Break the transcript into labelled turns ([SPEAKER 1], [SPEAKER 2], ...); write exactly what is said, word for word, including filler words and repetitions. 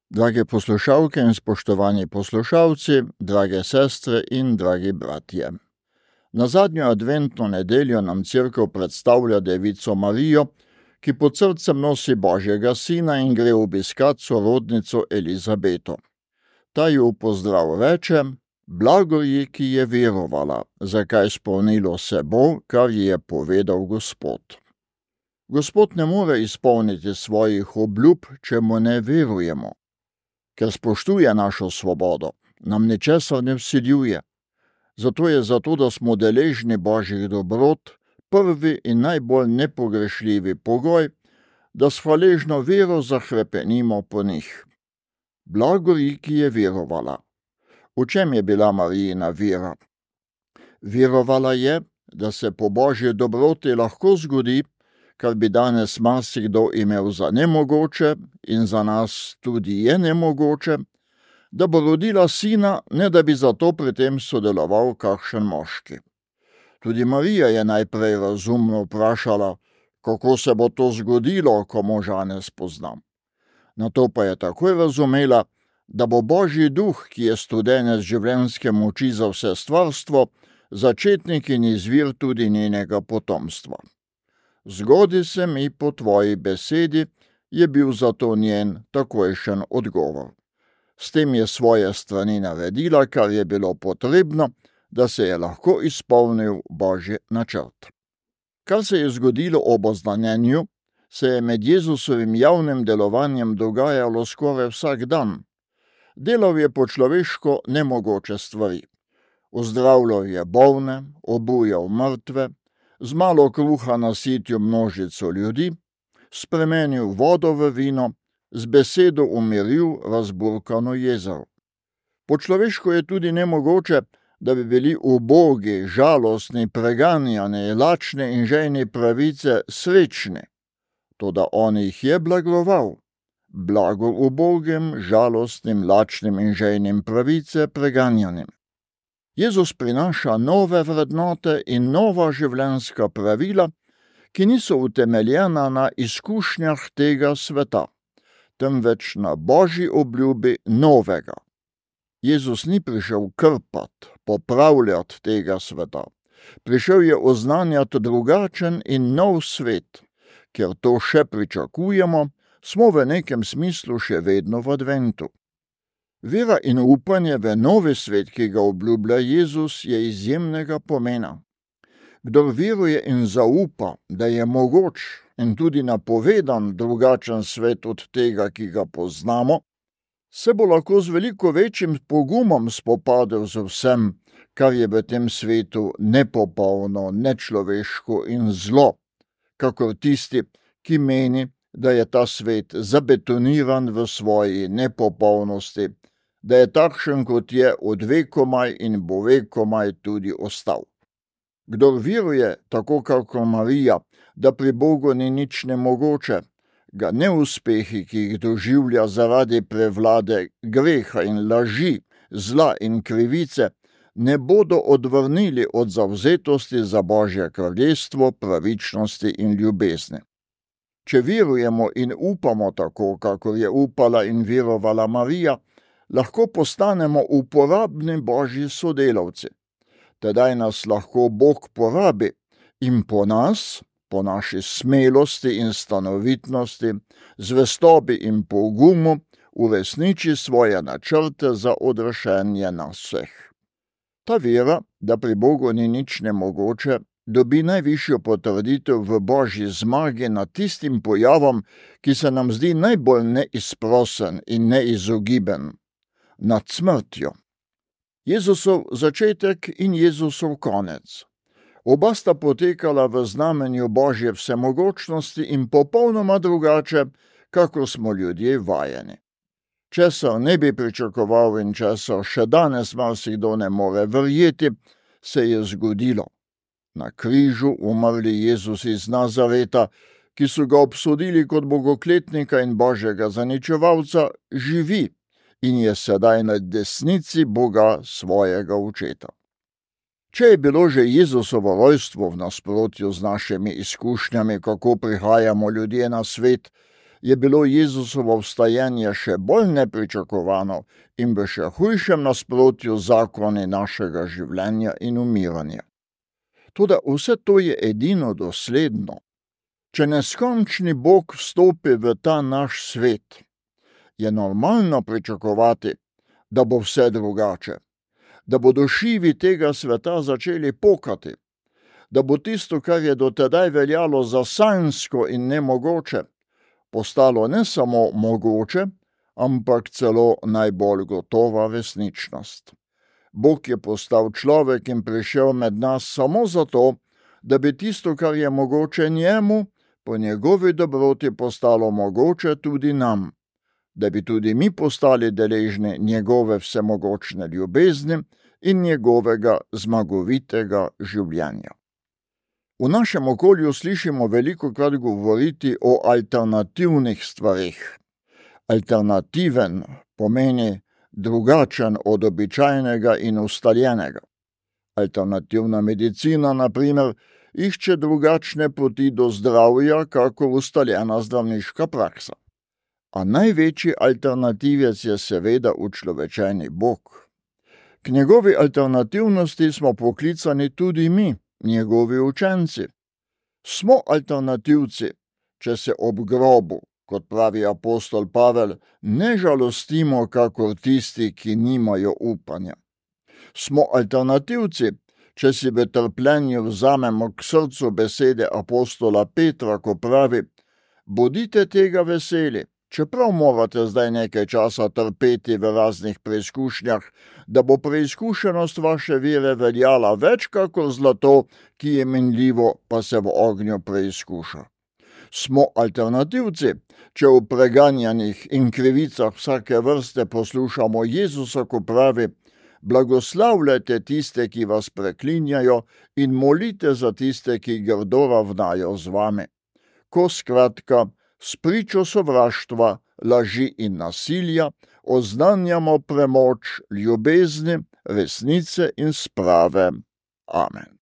[SPEAKER 1] Drage poslušalke in spoštovani poslušalci, drage sestre in dragi bratje. Na zadnjo adventno nedeljo nam Cerkev predstavlja Devico Marijo, ki pod srcem nosi Božjega sina in gre obiskat sorodnico Elizabeto. Ta ji v pozdrav reče: "Blago ji, ki je verovala, zakaj spolnilo se bo, kar ji je povedal Gospod." Gospod ne more izpolniti svojih obljub, če mu ne verujemo. Ker spoštuje našo svobodo, nam ničesar ne vsiljuje. Zato je zato, da smo deležni Božjih dobrot, prvi in najbolj nepogrešljivi pogoj, da s hvaležno vero zahrepenimo po njih. Blago ji, ki je verovala. V čem je bila Marijina vera? Verovala je, da se po Božji dobroti lahko zgodi, kar bi danes marsikdo imel za nemogoče in za nas tudi je nemogoče, da bo rodila sina, ne da bi zato pri tem sodeloval kakšen moški. Tudi Marija je najprej razumno vprašala, kako se bo to zgodilo, ko moža ne spoznam. Nato pa je takoj razumela, da bo Božji duh, ki je studenec življenjske moči za vse stvarstvo, začetnik in izvir tudi njenega potomstva. "Zgodi se mi po tvoji besedi," je bil zato njen takojšen odgovor. S tem je svoje strani naredila, kar je bilo potrebno, da se je lahko izpolnil Božji načrt. Kar se je zgodilo ob oznanjenju, se je med Jezusovim javnim delovanjem dogajalo skoraj vsak dan. Delal je po človeško nemogoče stvari. Ozdravljal je bolne, obujal mrtve, z malo kruha nasitil množico ljudi, spremenil vodo v vino, z besedo umiril razburkano jezero. Po človeško je tudi nemogoče, da bi bili ubogi, žalostni, preganjani, lačni in žejni pravice srečni. Toda on jih je blagoval. Blago ubogim, žalostnim, lačnim in žejnim pravice preganjanim. Jezus prinaša nove vrednote in nova življenjska pravila, ki niso utemeljena na izkušnjah tega sveta, temveč na Božji obljubi novega. Jezus ni prišel krpati, popravljati tega sveta. Prišel je oznanjati drugačen in nov svet. Ker to še pričakujemo, smo v nekem smislu še vedno v adventu. Vera in upanje v novi svet, ki ga obljublja Jezus, je izjemnega pomena. Kdor veruje in zaupa, da je mogoč in tudi napovedan drugačen svet od tega, ki ga poznamo, se bo lahko z veliko večjim pogumom spopadel z vsem, kar je v tem svetu nepopolno, nečloveško in zlo, kakor tisti, ki meni, da je ta svet zabetoniran v svoji nepopolnosti, da je takšen, kot je od vekomaj in bo vekomaj tudi ostal. Kdor veruje, tako kakor Marija, da pri Bogu ni nič nemogoče, ga neuspehi, ki jih doživlja zaradi prevlade greha in laži, zla in krivice, ne bodo odvrnili od zavzetosti za Božje kraljestvo, pravičnosti in ljubezni. Če verujemo in upamo tako, kakor je upala in verovala Marija, lahko postanemo uporabni Božji sodelavci. Tedaj nas lahko Bog porabi in po nas, po naši smelosti in stanovitnosti, zvestobi in pogumu, uresniči svoje načrte za odrešenje nas vseh. Ta vera, da pri Bogu ni nič nemogoče, dobi najvišjo potrditev v Božji zmagi nad tistim pojavom, ki se nam zdi najbolj neizprosen in neizogiben, nad smrtjo. Jezusov začetek in Jezusov konec. Oba sta potekala v znamenju Božje vsemogočnosti in popolnoma drugače, kakor smo ljudje vajeni. Česar ne bi pričakoval in česar še danes marsikdo ne more verjeti, se je zgodilo. Na križu umrli Jezus iz Nazareta, ki so ga obsodili kot bogokletnika in Božjega zaničevalca, živi in je sedaj na desnici Boga svojega očeta. Če je bilo že Jezusovo rojstvo v nasprotju z našimi izkušnjami, kako prihajamo ljudje na svet, je bilo Jezusovo vstajanje še bolj nepričakovano in v še hujšem nasprotju z zakoni našega življenja in umiranja. Toda vse to je edino dosledno. Če neskončni Bog vstopi v ta naš svet, je normalno pričakovati, da bo vse drugače, da bodo šivi tega sveta začeli pokati, da bo tisto, kar je dotedaj veljalo za sanjsko in nemogoče, postalo ne samo mogoče, ampak celo najbolj gotova resničnost. Bog je postal človek in prišel med nas samo zato, da bi tisto, kar je mogoče njemu, po njegovi dobroti postalo mogoče tudi nam, da bi tudi mi postali deležni njegove vsemogočne ljubezni in njegovega zmagovitega življenja. V našem okolju slišimo velikokrat govoriti o alternativnih stvarih. Alternativen pomeni drugačen od običajnega in ustaljenega. Alternativna medicina, na primer, išče drugačne poti do zdravja, kakor ustaljena zdravniška praksa. A največji alternativec je seveda učlovečeni Bog. K njegovi alternativnosti smo poklicani tudi mi, njegovi učenci. Smo alternativci, če se ob grobu, kot pravi apostol Pavel, ne žalostimo, kakor tisti, ki nimajo upanja. Smo alternativci, če si v trpljenju vzamemo k srcu besede apostola Petra, ko pravi: bodite tega veseli, čeprav morate zdaj nekaj časa trpeti v raznih preizkušnjah, da bo preizkušenost vaše vere veljala več kakor zlato, ki je minljivo, pa se v ognju preizkuša. Smo alternativci, če v preganjanjih in krivicah vsake vrste poslušamo Jezusa, ko pravi: blagoslavljajte tiste, ki vas preklinjajo, in molite za tiste, ki grdo ravnajo z vami. Ko skratka spričo sovraštva, laži in nasilja oznanjamo premoč ljubezni, resnice in sprave. Amen.